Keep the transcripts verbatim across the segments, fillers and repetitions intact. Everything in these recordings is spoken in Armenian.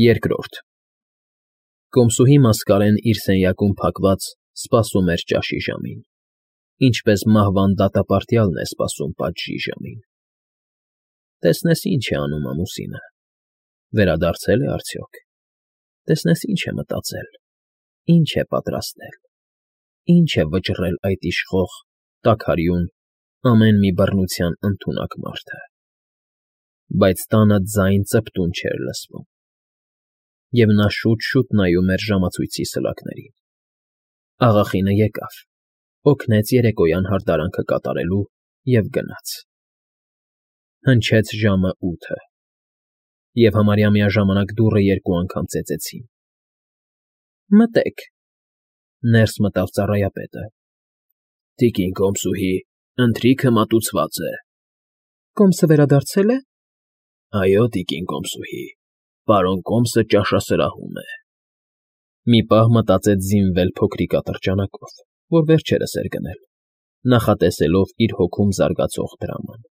Երկրորդ Կոմսուհի Մասկարեն իր սենյակում փակված սպասում էր ճաշի ժամին, ինչպես մահվան դատապարտյալն է սպասում պատժի ժամին։ Տեսնես ինչ է անում ամուսինը, վերադարձել է արդյոք, տեսնես ինչ է մտածել, ինչ է պատրաստել, ինչ է վճռել այդ իշխող, տաքարյուն, ամեն մի բռնության ընդունակ մարդը։ Բայց տանը ձայն ծպտուն չէր լսվում, և նա շուտ֊շուտ նայում էր ժամացույցի սլաքներին։ Աղախինը եկավ, օգնեց երեկոյան հարդարանքը կատարելու և գնաց։ Հնչեց ժամը ութը, և համարյա միաժամանակ դուռը երկու անգամ ծեծեցին։ ֊ Մտե՛ք,֊ ներս մտավ ծառայապետը։ ֊ Տիկին կոմսուհի, ընթրիքը մատուցված է։ ֊ Կոմսը վերադարձե՞լ է։ ֊ Այո, տիկին կոմսուհի, պարոն կոմսը ճաշասրահում է։ Մի պահ մտածեց զինվել փոքրիկ ատրճանակով, որ վերջերս էր գնել, նախատեսելով իր հոգում զարգացող դրաման,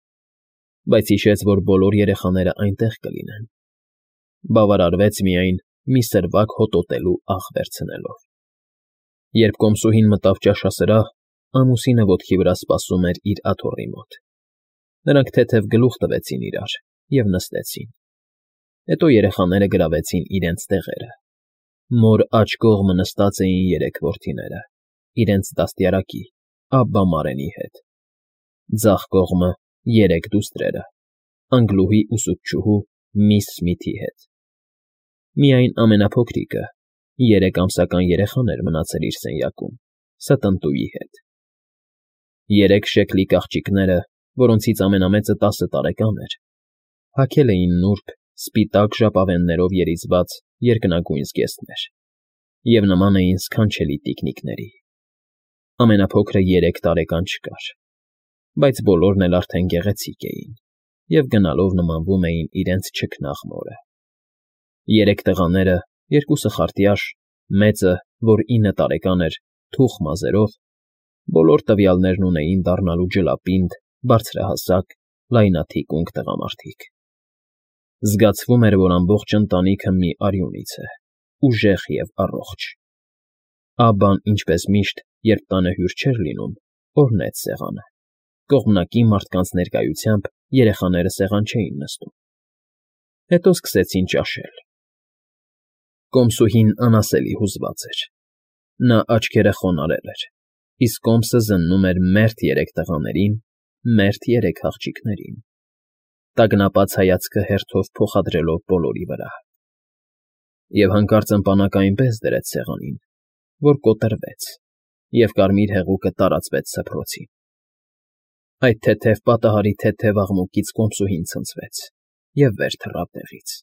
բայց հիշեց, որ բոլոր երեխաներն այնտեղ կլինեն։ Բավարարվեց միայն մի սրվակ հոտոտելու աղ վերցնելով։ Երբ կոմսուհին մտավ ճաշասրահ, ամուսինը ոտքի վրա սպասում էր իր աթոռի մոտ։ Նրանք թեթև գլուխ տվեցին իրար և նստեցին։ Հետո երեխաները գրավեցին իրենց տեղերը։ Մոր աջ կողմը նստած էին երեք որդիները, իրենց դաստիարակի՝ Աբբա Մարենի հետ, ձախ կողմը՝ երեք դուստրերը՝ Անգլուհի ուսուցչուհու միս Սմիթի հետ։ Միայն ամենափոքրիկը՝ երեք ամսական երեխան էր մնացել իր սենյակում՝ ստընտուի հետ։ Երեք շեքլիկ աղջիկները, որոնցից ամենամեծը տասը տարեկան էր, հագել էին նուրբ, սպիտակ ժապավեններով երիզված երկնագույն զգեստներ և նման էին սքանչելի տիկնիկների։ Ամենափոքրը երեք տարեկան չկար, բայց բոլորն էլ արդեն գեղեցիկ էին և գնալով նմանվում էին իրենց չքնաղ մորը։ Երեք տղաները, երկուսը խարտյաշ, մեծը, որ ինը տարեկան էր, թուխ մազերով, բոլոր տվյալներն ունեին դառնալու ջլապինդ, բարձրահասակ, լայնաթիկունք տղամարդիկ։ Զգացվում էր, որ ամբողջ ընտանիքը մի արյունից է, ուժեղ և առողջ։ Աբբան, ինչպես միշտ, երբ տանը հյուր չէր լինում, օրհնեց սեղանը։ Կողմնակի մարդկանց ներկայությամբ երեխաները սեղան չէին նստում։ Հետո սկսեցին ճաշել։ Կոմսուհին անասելի հուզված էր։ Նա աչքերը խոնարհել էր, իսկ կոմսը զննում էր մերթ երեք տղաներին, մերթ երեք աղջիկներին, տագնապած հայացքը հերթով փոխադրելով բոլորի վրա։ Եվ հանկարծ ըմպանակը այնպես դրեց սեղանին, որ կոտրվեց, և կարմիր հեղուկը տարածվեց սփռոցին։ Այդ թեթև պատահարի թեթև աղմուկից կոմսուհին ցնցվեց և վեր թռավ տեղից։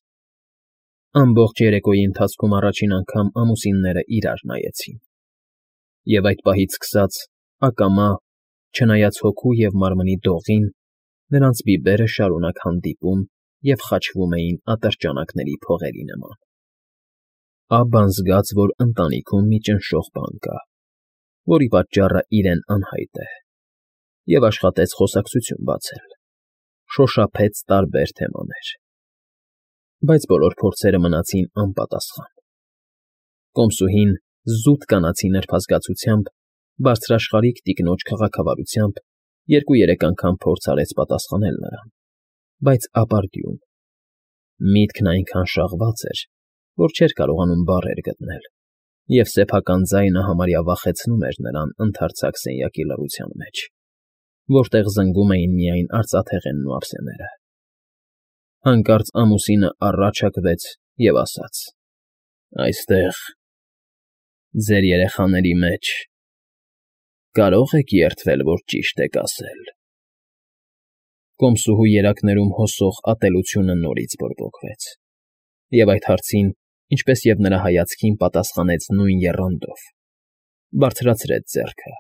Ամբողջ երեկոյի ընթացքում առաջին անգամ ամուսինները իրար նայեցին, և այդ պահից սկսած, ակամա, չնայած հոգու և մարմնի դողին, նրանց բիբերը շարունակ հանդիպում և խաչվում էին ատրճանակների փողերի նման։ Աբբան զգաց, որ ընտանիքում մի ճնշող բան կա, որի պատճառը իրեն անհայտ է, և աշխատեց խոսակցություն բացել, շոշափեց տարբեր թեմաներ։ Բայց բոլոր փորձերը մնացին անպատասխան։ Կոմսուհին զուտ կանացի նրբազգացությամբ, բարձրաշխարհիկ տիկնոջ քաղաքավարությամբ երկու֊երեք անգամ փորձ արեց պատասխանել նրան, բայց ապարդյուն։ Միտքն այնքան շաղված էր, որ չէր կարողանում բառեր գտնել, և սեփական ձայնը համարյա վախեցնում էր նրան ընդարձակ սենյակի լռության մեջ, որտեղ զնգում էին միայն արծաթեղենն ու ափսեները։ Հանկարծ ամուսինը առաջ հագվեց և ասաց. «Այստեղ, ձեր երեխաների մեջ, կարո՞ղ եք երդվել, որ ճիշտ եք ասել»։ Կոմսուհու երակներում հոսող ատելությունը նորից բորբոքվեց, և այդ հարցին, ինչպես և նրա հայացքին, պատասխանեց նույն եռանդով, բարձրացրեց ձեռքը,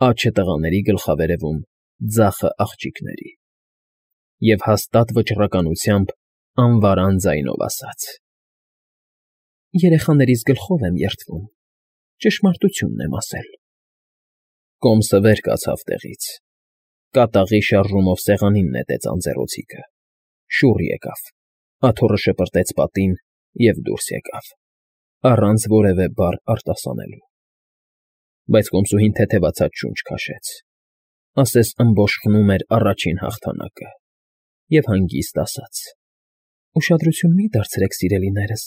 աջը տղաների գլխավերևում, ձախը աղջիկների, և հաստատ վճռականությամբ անվարան ձայնով ասաց. «Երեխաներիս գլխով եմ երդվում, ճշմարտությունն եմ ասել»։ Կոմսը վեր կացավ տեղից, կատաղի շարժումով սեղանին նետեց անձեռոցիկը, շուռ եկավ, աթոռը շպրտեց պատին և դուրս եկավ, առանց որևէ բառ արտասանելու։ Բայց կոմսուհին թեթևացած շունչ քաշեց, ասես ըմբոշխնում էր առաջին հաղթանակը, և հանգիստ ասաց. «Ուշադրություն մի՛ դարձրեք, սիրելիներս,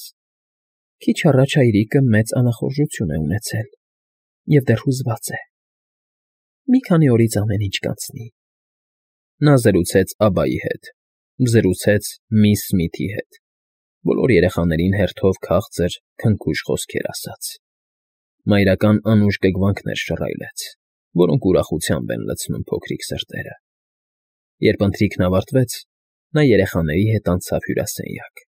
քիչ առաջ հայրիկը մեծ անախորժություն է ունեցել և դեռ հուզված է. մի քանի օրից ամեն ինչ կանցնի»։ Նա զրուցեց Աբայի հետ, զրուցեց միս Սմիթի հետ, բոլոր երեխաներին հերթով քաղցր, քնքուշ խոսքեր ասաց, մայրական անուշ կգվանքներ շռայլեց, որոնք ուրախությամբ են լցնում փոքրիկ սրտերը։ Երբ ընթրիքն ավարտվեց, նա երեխաների հետ անցավ հյուրասենյակ,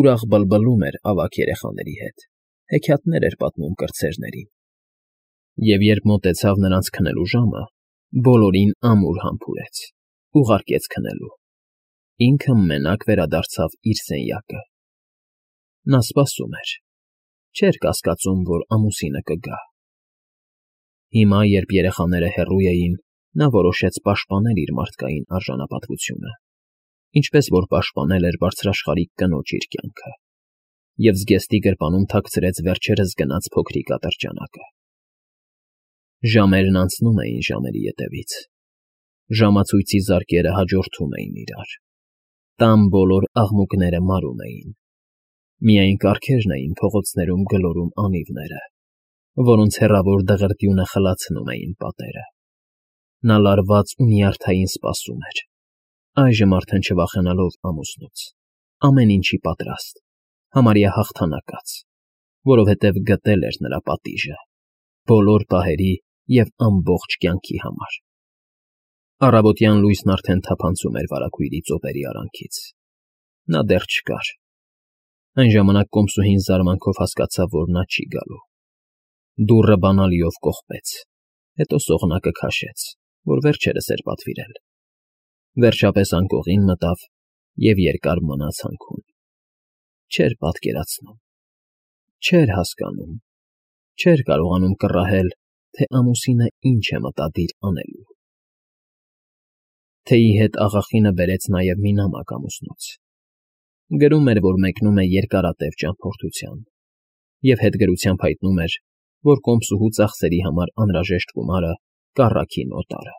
ուրախ բլբլում էր ավագ երեխաների հետ, հեքիաթներ էր պատմում կրտսերներին։ Եվ երբ մոտեցավ նրանց քնելու ժամը, բոլորին ամուր համբուրեց, ուղարկեց քնելու, ինքը մենակ վերադարձավ իր սենյակը։ Նա սպասում էր, չէր կասկածում, որ ամուսինը կգա։ Հիմա, երբ երեխաները հեռու էին, նա որոշեց պաշտպանել իր մարդկային արժանապատվությունը, ինչպես որ պաշտպանել էր բարձրաշխարհիկ կնոջ իր կյանքը, և զգեստի գրպանում թաքցրեց վերջերս գնած փոքրիկ ատրճանակը։ Ժամերն անցնում էին ժամերի ետևից, ժամացույցի զարկերը հաջորդում էին իրար, տան բոլոր աղմուկները մարում էին, միայն կառքերն էին փողոցներում գլորում անիվները, որոնց հեռավոր դղրդյունը խլացնում էին պատերը։ Նա լարված ու նյարդային սպասում էր, այժմ արդեն չվախենալով ամուսնուց, ամեն ինչի պատրաստ, համարյա հաղթանակած, որովհետև գտել էր նրա պատիժը, բոլոր պահերի և ամբողջ կյանքի համար։ Առավոտյան լույսն արդեն թափանցում էր վարագույրի ծոպերի արանքից։ Նա դեռ չկար։ Այն ժամանակ կոմսուհին զարմանքով հասկացավ, որ նա չի գալու։ Դուռը բանալիով կողպեց, հետո սողնակը քաշեց, որ վերջերս էր պատվիրել, վերջապես անկողին մտավ և երկար մնաց հանքում։ Չէր պատկերացնում, չէր հասկանում, չէր կարողանում կռահել, թե ամուսինը ինչ է մտադիր անելու։ Թեյի հետ աղախինը բերեց նաև մի նամակ ամուսնուց։ Գրում էր, որ մեկնում է երկարատև ճամփորդության, և հետգրությամբ հայտնում էր, որ կոմսուհու ծախսերի համար անհրաժեշտ գումարը կառաքին օտարը։